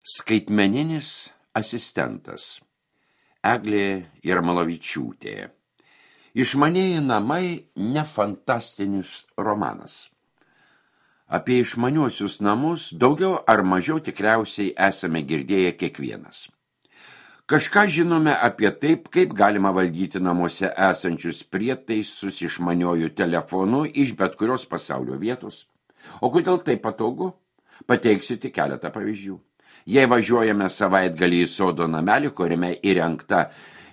Skaitmeninis asistentas. Eglė Jarmalavičiūtė. Išmanieji namai ne fantastinis romanas. Apie išmaniuosius namus daugiau ar mažiau tikriausiai esame girdėję kiekvienas. Kažką žinome apie taip, kaip galima valdyti namuose esančius prietaisus išmaniuoju telefonu iš bet kurios pasaulio vietos. O kodėl tai patogu? Pateiksiu tik keletą pavyzdžių. Jei važiuojame savaitgalį į sodo namelį, kuriame įrengta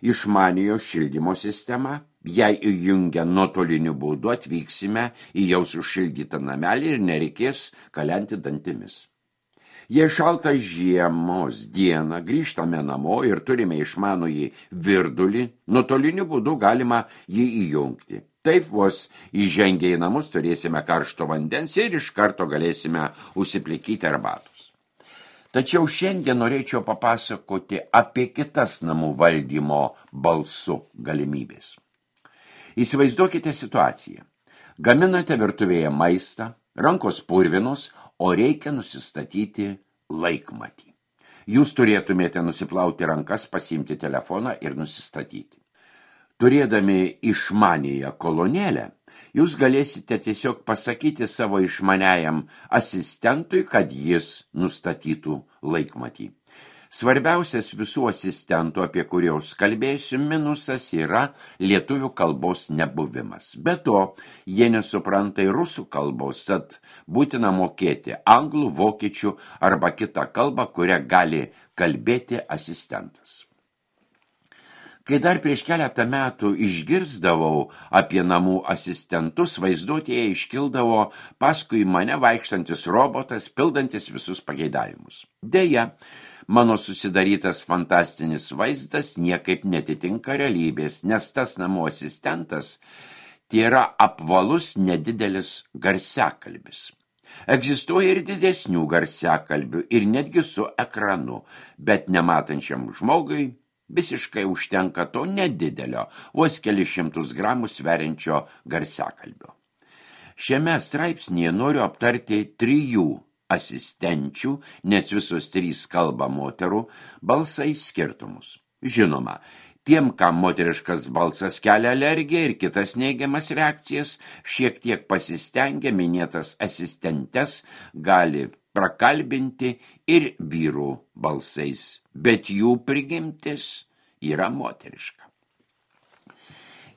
išmaniojo šildymo sistema, jei įjungę nuotoliniu būdu atvyksime į jau sušildytą namelį ir nereikės kalenti dantimis. Jei šaltą žiemos dieną grįžtame namo ir turime išmanųjį virdulį, nuotoliniu būdu galima jį įjungti. Taip vos įžengę į namus turėsime karšto vandens ir iš karto galėsime užsiplikyti arbatos. Tačiau šiandien norėčiau papasakoti apie kitas namų valdymo balsu galimybės. Įsivaizduokite situaciją. Gaminate virtuvėje maistą, rankos purvinos, o reikia nusistatyti laikmatį. Jūs turėtumėte nusiplauti rankas, pasiimti telefoną ir nusistatyti. Turėdami išmanėją kolonėlę, jūs galėsite tiesiog pasakyti savo išmaniajam asistentui, kad jis nustatytų laikmatį. Svarbiausias visų asistentų, apie kuriuos kalbėsiu, minusas yra lietuvių kalbos nebuvimas. Be to, jie nesupranta ir rusų kalbos, tad būtina mokėti anglų, vokiečių arba kitą kalbą, kurią gali kalbėti asistentas. Kai dar prieš keletą metų išgirsdavau apie namų asistentus, vaizduotėje iškildavo paskui mane vaikštantis robotas, pildantis visus pageidavimus. Deja, mano susidarytas fantastinis vaizdas niekaip netitinka realybės, nes tas namų asistentas tai yra apvalus nedidelis garsiakalbis. Egzistuoja ir didesnių garsiakalbių ir netgi su ekranu, bet nematančiam žmogui visiškai užtenka to nedidelio, vos kelis šimtus gramų sveriančio garsiakalbio. Šiame straipsnyje noriu aptarti 3 asistenčių, nes visos 3 kalba moterų, balsai skirtumus. Žinoma, tiem, kam moteriškas balsas kelia alergiją ir kitas neigiamas reakcijas, šiek tiek pasistengę minėtas asistentes gali prakalbinti ir vyrų balsais, bet jų prigimtis yra moteriška.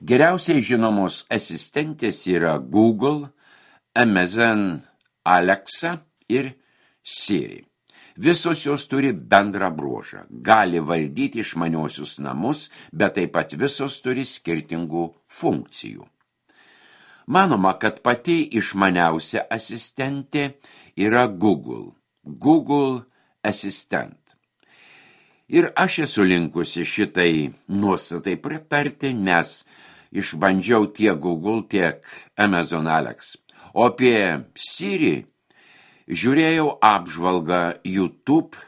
Geriausiai žinomos asistentės yra Google, Amazon, Alexa ir Siri. Visos jos turi bendrą bruožą, gali valdyti išmaniuosius namus, bet taip pat visos turi skirtingų funkcijų. Manoma, kad pati išmaniausia asistentė yra Google Assistant. Ir aš esu linkusi šitai nuostatai pritarti, nes išbandžiau tiek Google, tiek Amazon Alexa. O apie Siri žiūrėjau apžvalgą youtube.com.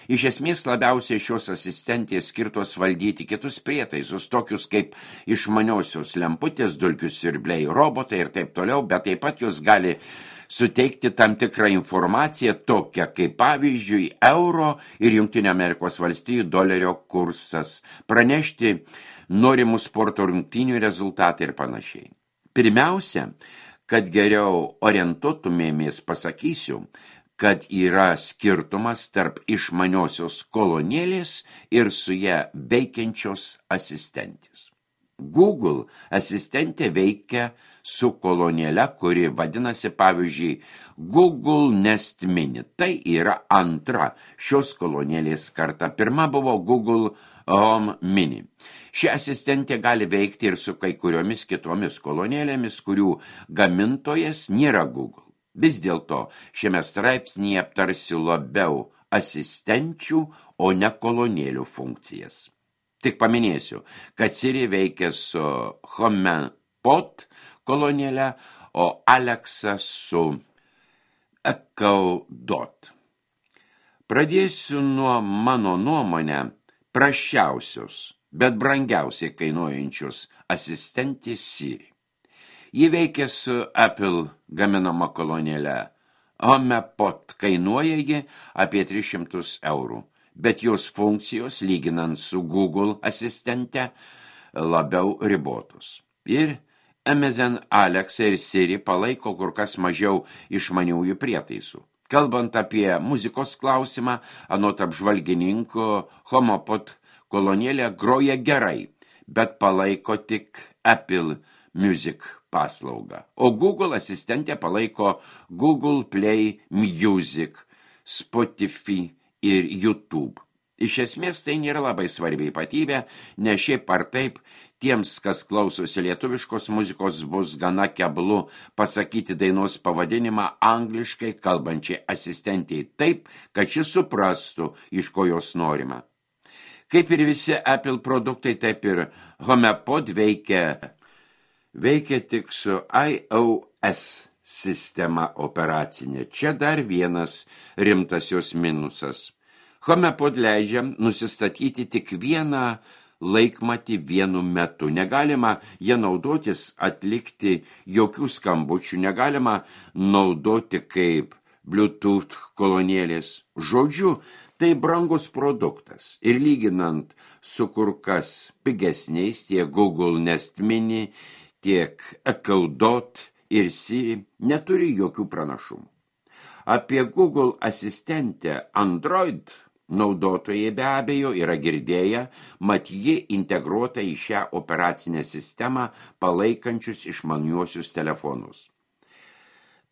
Iš esmės labiausiai šios asistentės skirtos valdyti kitus prietaisus, tokius kaip išmaniosios lemputės, dulkių siurbliai, robotai ir taip toliau, bet taip pat jos gali suteikti tam tikrą informaciją tokią kaip pavyzdžiui euro ir Jungtinių Amerikos valstijų dolerio kursas, pranešti norimų sporto rungtynių rezultatą ir panašiai. Pirmiausia, kad geriau orientuotumėmės, pasakysiu, kad yra skirtumas tarp išmaniosios kolonėlės ir su ją veikiančios asistentės. Google asistentė veikia su kolonėle, kuri vadinasi, pavyzdžiui, Google Nest Mini. Tai yra antra šios kolonėlės karta. Pirma buvo Google Home Mini. Ši asistentė gali veikti ir su kai kuriomis kitomis kolonėlėmis, kurių gamintojas nėra Google. Vis dėlto šiame straipsnyje aptarsiu labiau asistenčių, o ne kolonėlių funkcijas. Tik paminėsiu, kad Siri veikia su HomePod kolonėle, o Alexa su Echo Dot. Pradėsiu nuo mano nuomonę prasčiausios, bet brangiausiai kainuojančios asistentės Siri. Ji veikia su Apple gaminama kolonėle HomePod kainuoja ji apie 300 eurų, bet jos funkcijos, lyginant su Google asistente, labiau ribotos. Ir Amazon Alexa ir Siri palaiko kur kas mažiau išmaniųjų prietaisų. Kalbant apie muzikos klausimą, anot apžvalgininko, HomePod kolonėlė groja gerai, bet palaiko tik Apple Music paslaugą. O Google asistentė palaiko Google Play Music, Spotify ir YouTube. Iš esmės tai nėra labai svarbi ypatybė, nes šiaip ar taip tiems, kas klausosi lietuviškos muzikos, bus gana keblu pasakyti dainos pavadinimą angliškai kalbančiai asistentiai taip, kad šis suprastų, iš ko jos norima. Kaip ir visi Apple produktai, taip ir HomePod veikia tik su iOS sistema operacinė. Čia dar vienas rimtas jos minusas. HomePod leidžia nusistatyti tik vieną laikmatį vienu metu. Negalima jie naudotis atlikti jokių skambučių, negalima naudoti kaip Bluetooth kolonėlės. Žodžiu, tai brangus produktas. Ir lyginant su kur kas pigesniais tiek Google Nest Mini, tiek Echo Dot ir Siri neturi jokių pranašumų. Apie Google asistentę Android naudotojai be abejo yra girdėję, mat ji integruota į šią operacinę sistemą palaikančius išmaniuosius telefonus.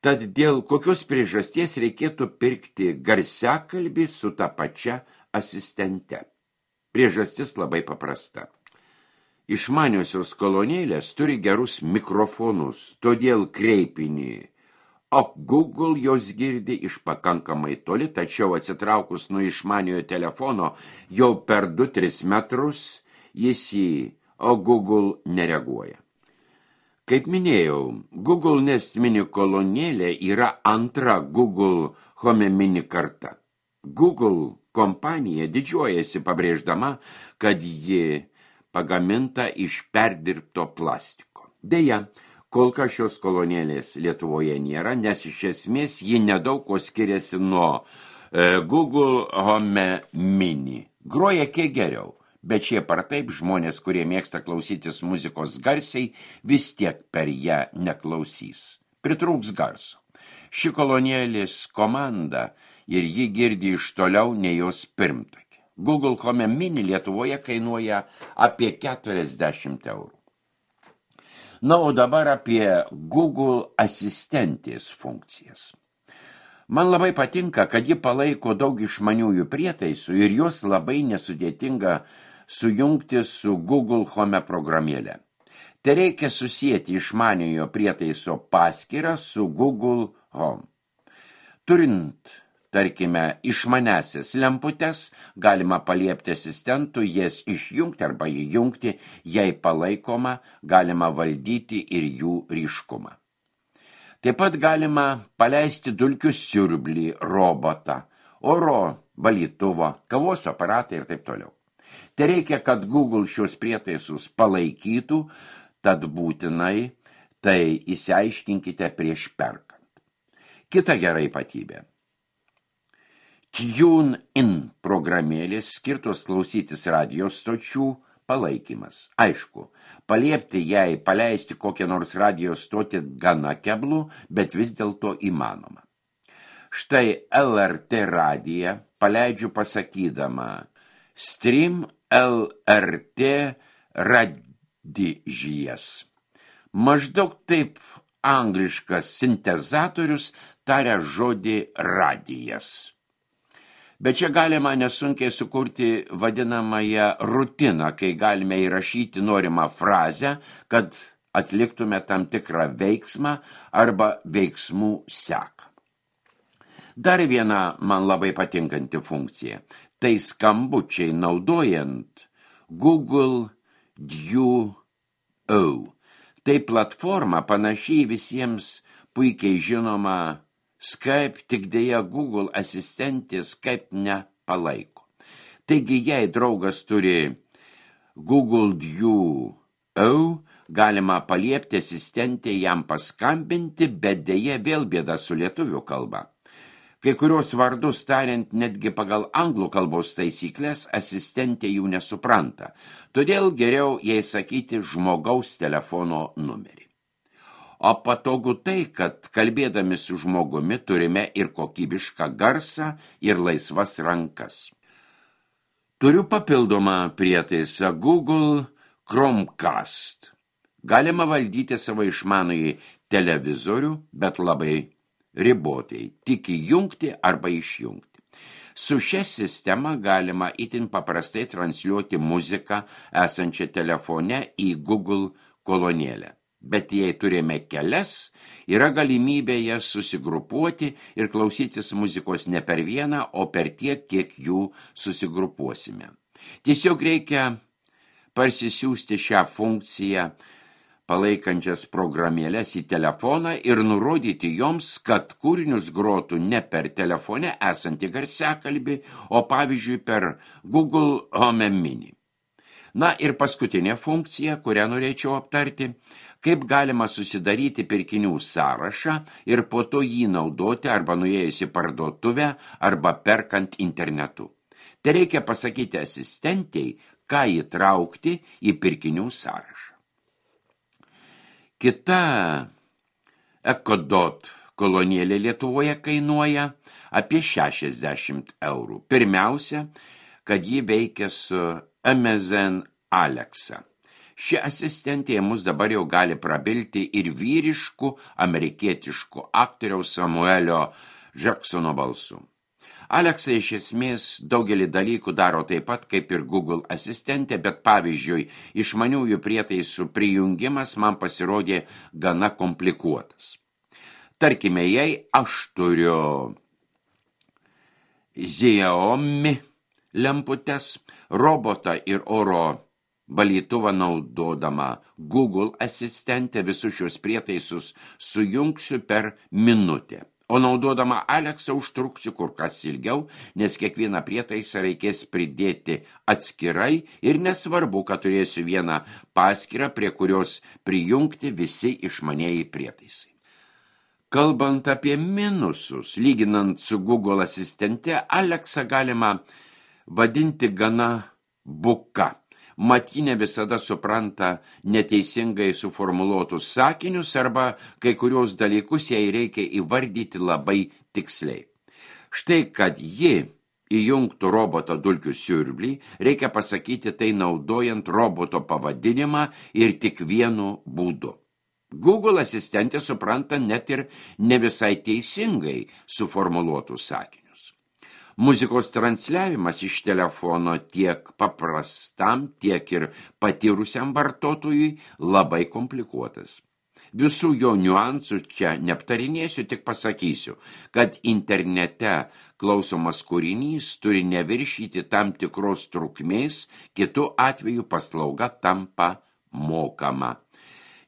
Tad dėl kokios priežasties reikėtų pirkti garsiakalbį su ta pačia asistente? Priežastis labai paprasta. Išmaniosios kolonėlės turi gerus mikrofonus, todėl kreipinį, o Google jos girdi iš pakankamai toli, tačiau atsitraukus nuo išmaniojo telefono jau per 2-3 metrus jis o Google nereaguoja. Kaip minėjau, Google Nest Mini kolonėlė yra antra Google Home Mini karta. Google kompanija didžiuojasi pabrėždama, kad ji pagaminta iš perdirbto plastiko. Deja, kol kas šios kolonėlės Lietuvoje nėra, nes iš esmės ji nedaug ko skiriasi nuo Google Home Mini. Groja kiek geriau, bet šiaip ar taip žmonės, kurie mėgsta klausytis muzikos garsiai, vis tiek per ją neklausys. Pritrūks garso. Ši kolonėlės komanda ir ji girdi iš toliau nei jos pirmtakė. Google Home Mini Lietuvoje kainuoja apie 40 eurų. Na, o dabar apie Google asistentės funkcijas. Man labai patinka, kad ji palaiko daug išmaniųjų prietaisų ir jos labai nesudėtinga sujungti su Google Home programėle. Tai reikia susijęti išmaniojo prietaiso paskyrą su Google Home. Turint, tarkime, išmanesias lemputes, galima paliepti asistentų jas išjungti arba įjungti, jei palaikoma, galima valdyti ir jų ryškumą. Taip pat galima paleisti dulkių siurblį, robotą, oro valytuvą, kavos aparatą ir taip toliau. Tai reikia, kad Google šios prietaisus palaikytų, tad būtinai tai išsiaiškinkite prieš perkant. Kita gera ypatybė. Tune-in programėlės skirtos klausytis radio stočių palaikymas. Aišku, paliepti jai paleisti kokią nors radio stotį gana keblų, bet vis dėlto įmanoma. Štai LRT radiją paleidžiu pasakydama Stream LRT radijas. Maždaug taip angliškas sintezatorius taria žodį radijas. Bet čia galima nesunkiai sukurti vadinamąją rutiną, kai galime įrašyti norimą frazę, kad atliktume tam tikrą veiksmą arba veiksmų seką. Dar viena man labai patinkanti funkcija. Tai skambučiai naudojant Google Duo. Tai platforma panašiai visiems puikiai žinoma Skype, tik dėja Google asistentė Skype nepalaiko. Taigi, jei draugas turi Google Duo, galima paliepti asistentę jam paskambinti, bet dėja vėl bėda su lietuvių kalba. Kai kurios vardus tariant netgi pagal anglų kalbos taisyklės asistentė jų nesupranta, todėl geriau jai sakyti žmogaus telefono numerį. O patogu tai, kad kalbėdami su žmogumi turime ir kokybišką garsą ir laisvas rankas. Turiu papildomą prietaisą Google Chromecast. Galima valdyti savo išmanųjį televizorių, bet labai ribotai, tik įjungti arba išjungti. Su šia sistema galima itin paprastai transliuoti muziką esančią telefone į Google kolonėlę. Bet jei turime kelias, yra galimybė jas susigrupuoti ir klausytis muzikos ne per vieną, o per tiek, kiek jų susigrupuosime. Tiesiog reikia parsisiųsti šią funkciją palaikančias programėlės į telefoną ir nurodyti joms, kad kūrinius grotų ne per telefone esantį garsiakalbį, o pavyzdžiui per Google Home Mini. Na ir paskutinė funkcija, kurią norėčiau aptarti, kaip galima susidaryti pirkinių sąrašą ir po to jį naudoti arba nuėjus į parduotuvę arba perkant internetu. Tai reikia pasakyti asistentei, ką įtraukti į pirkinių sąrašą. Kita EcoDot kolonėlė Lietuvoje kainuoja apie 60 eurų. Pirmiausia, kad ji veikia su Amazon Alexa. Ši asistentė mus dabar jau gali prabilti ir vyriškų amerikietiškų aktoriaus Samuelio Jacksono balsu. Alexa iš esmės daugelį dalykų daro taip pat kaip ir Google asistentė, bet pavyzdžiui, išmaniųjų prietaisų prijungimas man pasirodė gana komplikuotas. Tarkime, jei aš turiu Xiaomi lemputes, robotą ir oro valytuvą naudodama Google asistentę visus šios prietaisus sujungsiu per minutę. O naudodama Alexa užtruksiu kur kas ilgiau, nes kiekvieną prietaisą reikės pridėti atskirai ir nesvarbu, kad turėsiu vieną paskyrą, prie kurios prijungti visi išmanieji prietaisai. Kalbant apie minusus, lyginant su Google asistente, Alexa galima vadinti gana buka. Mat ji ne visada supranta neteisingai suformuluotus sakinius arba kai kurios dalykus jai reikia įvardyti labai tiksliai. Štai, kad ji įjungtų roboto dulkių siurblį, reikia pasakyti tai naudojant roboto pavadinimą ir tik vienu būdu. Google asistentė supranta net ir ne visai teisingai suformuluotus sakinius. Muzikos transliavimas iš telefono tiek paprastam, tiek ir patyrusiam vartotojui labai komplikuotas. Visų jo niuansų čia neaptarinėsiu, tik pasakysiu, kad internete klausomas kūrinys turi neviršyti tam tikros trukmės, kitu atveju paslauga tampa mokama.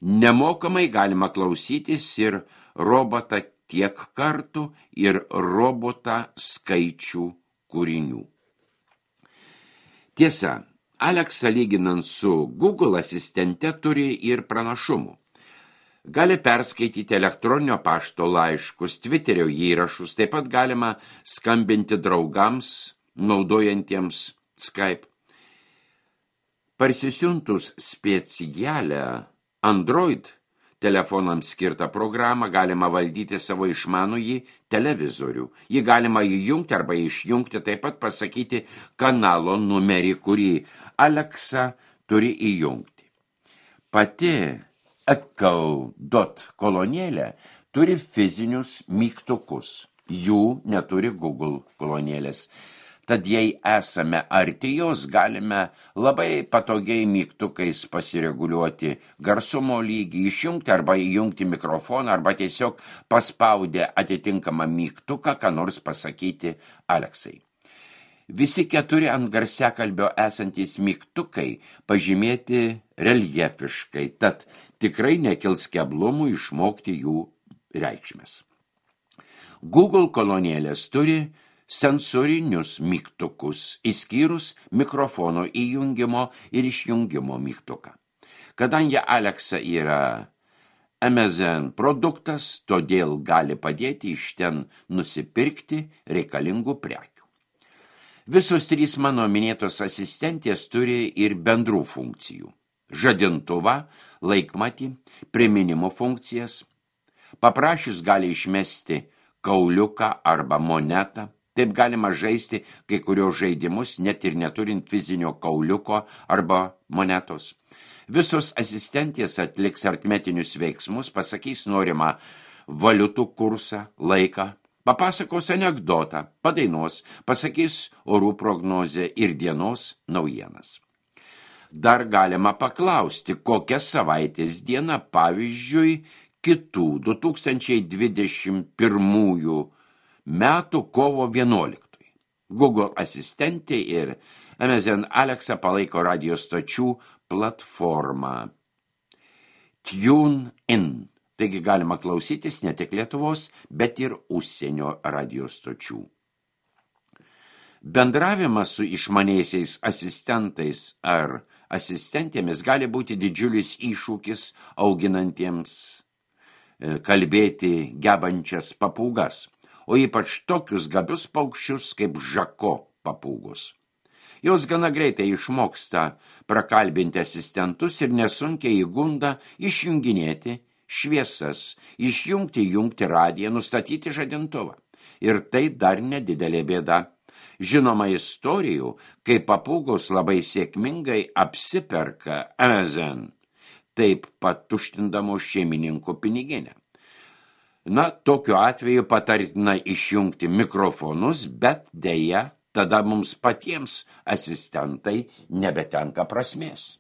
Nemokamai galima klausytis ir robotą tiek kartų ir robotą skaičių kūrinių. Tiesa, Alexa lyginant su Google asistente turi ir pranašumų. Gali perskaityti elektroninio pašto laiškus, Twitterio įrašus, taip pat galima skambinti draugams, naudojantiems Skype. Parsisiuntus specialią Android telefonams skirtą programą galima valdyti savo išmanųjį televizorių. Jį galima įjungti arba išjungti, taip pat pasakyti kanalo numerį, kurį Alexa turi įjungti. Pati EcoDot kolonėlė turi fizinius mygtukus. Jų neturi Google kolonėlės. Tad jei esame arti jos, galime labai patogiai mygtukais pasireguliuoti garsumo lygį, išjungti arba įjungti mikrofoną, arba tiesiog paspaudę atitinkamą mygtuką, ką nors pasakyti Alexai. Visi 4 ant garsiakalbio esantys mygtukai pažymėti reljefiškai, tad tikrai nekils keblumų išmokti jų reikšmes. Google kolonėlės turi sensorinius mygtukus, išskyrus mikrofono įjungimo ir išjungimo mygtuką. Kadangi Alexa yra Amazon produktas, todėl gali padėti iš ten nusipirkti reikalingų prekių. Visos 3 mano minėtos asistentės turi ir bendrų funkcijų. Žadintuvą, laikmatį, priminimo funkcijas. Paprašius gali išmesti kauliuką arba monetą. Taip galima žaisti kai kurios žaidimus, net ir neturint fizinio kauliuko arba monetos. Visos asistentės atliks aritmetinius veiksmus, pasakys norimą valiutų kursą, laiką, papasakos anekdotą, padainuos, pasakys orų prognozę ir dienos naujienas. Dar galima paklausti, kokia savaitės diena, pavyzdžiui, kitų 2021 metų kovo 11. Google asistentė ir Amazon Alexa palaiko radio stočių platformą TuneIn. Taigi galima klausytis ne tik Lietuvos, bet ir užsienio radio stočių. Bendravimas su išmaniaisiais asistentais ar asistentėmis gali būti didžiulis iššūkis auginantiems kalbėti gebančias papūgas, o ypač tokius gabius paukščius kaip žako papūgos. Jos gana greitai išmoksta prakalbinti asistentus ir nesunkiai įgunda išjunginėti šviesas, jungti radiją, nustatyti žadintuvą. Ir tai dar nedidelė bėda. Žinoma istorijų, kai papūgos labai sėkmingai apsiperka Amazon, taip pat tuštindamos šeimininkų piniginę. Na, tokiu atveju patartina išjungti mikrofonus, bet deja, tada mums patiems asistentai nebetenka prasmės.